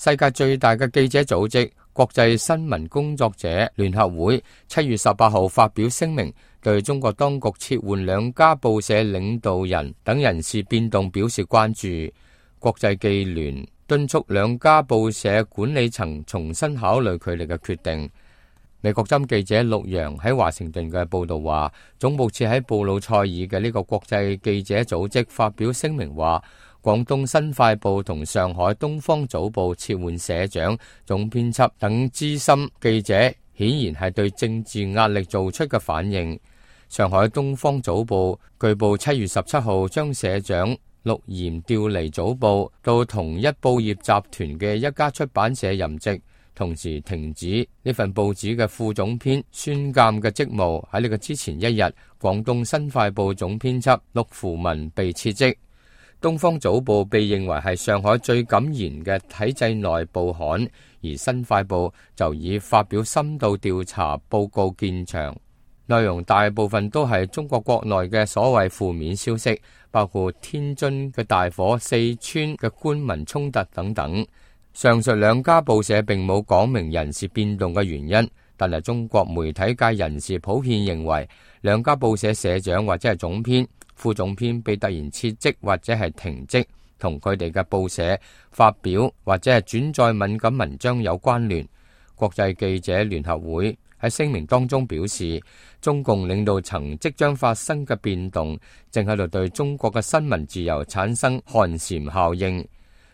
世界最大嘅記者組織國際新聞工作者聯合會7月18號發表聲明，對中國當局撤換2家報社領導人等人事變動表示關注。國際記聯敦促2家報社管理層重新考慮佢哋嘅決定。美國針記者陸洋喺華盛頓嘅報道話，總部設喺布魯塞爾嘅呢個國際記者組織發表聲明話，廣東新快報同上海東方早報撤換社長、總編輯等資深記者，顯然係對政治壓力做出嘅反應。上海東方早報據報7月17號將社長陸炎調離早報，到同一報業集團嘅一家出版社任職，同時停止呢份報紙嘅副總編孫鑑嘅職務。喺呢個之前一日，廣東新快報總編輯陸扶文被撤職。東方早報被認為係上海最敢言嘅體制內報刊，而新快報就以發表深度調查報告見長，內容大部分都係中國國內嘅所謂負面消息，包括天津嘅大火、四川嘅官民衝突等等。上述2家報社並冇講明人事變動嘅原因，但係中國媒體界人士普遍認為2家報社社長或者係總編、副總編被突然撤職或者係停職，同佢哋嘅報社發表或者係轉載敏感文章有關聯。國際記者聯合會喺聲明當中表示，中共領導層即將發生嘅變動正喺度對中國嘅新聞自由產生寒蟬效應。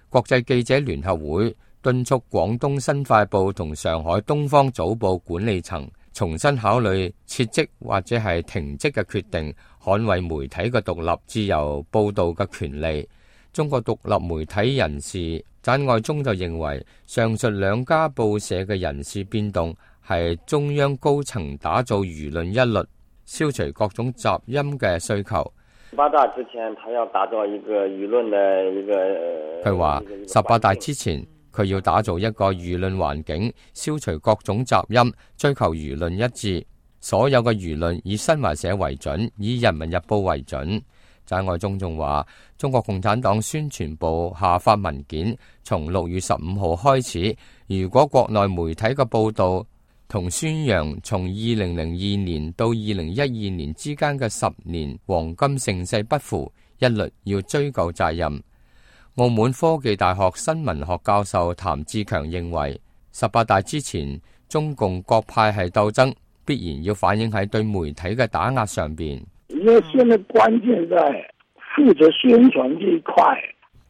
國際記者聯合會敦促廣東新快報同上海東方早報管理層重新考慮撤職或者係停職嘅決定，捍衛媒體嘅獨立自由報導嘅權利。中國獨立媒體人士翟愛忠就認為，上述2家報社嘅人事變動係中央高層打造輿論一律，消除各種雜音嘅需求。18大之前，他要打造一個輿論的一個。佢話18大之前，佢要打造一個輿論環境，消除各種雜音，追求輿論一致。所有嘅輿論以新華社為準，以人民日報為準。翟愛忠仲話，中國共產黨宣傳部下發文件，從6月15號開始，如果國內媒體嘅報道同宣揚從2002年到2012年之間嘅10年黃金盛世不符，一律要追究責任。澳門科技大學新聞學教授譚志強認為，18大之前中共各派系鬥爭必然要反映喺對媒體嘅打壓上邊。因為現在關鍵在負責宣傳呢一塊。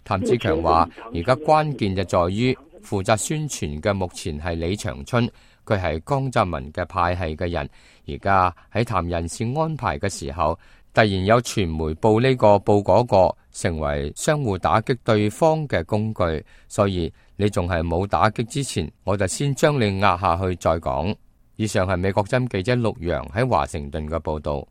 譚志強話，而家關鍵就在於負責宣傳嘅目前係李長春。佢係江澤民嘅派系嘅人，而家喺談人事安排嘅時候，突然有傳媒報呢個報嗰個，成為相互打擊對方嘅工具。所以你仲係冇打擊之前，我就先將你壓下去再講。以上係美國針記者陸洋喺華盛頓嘅報道。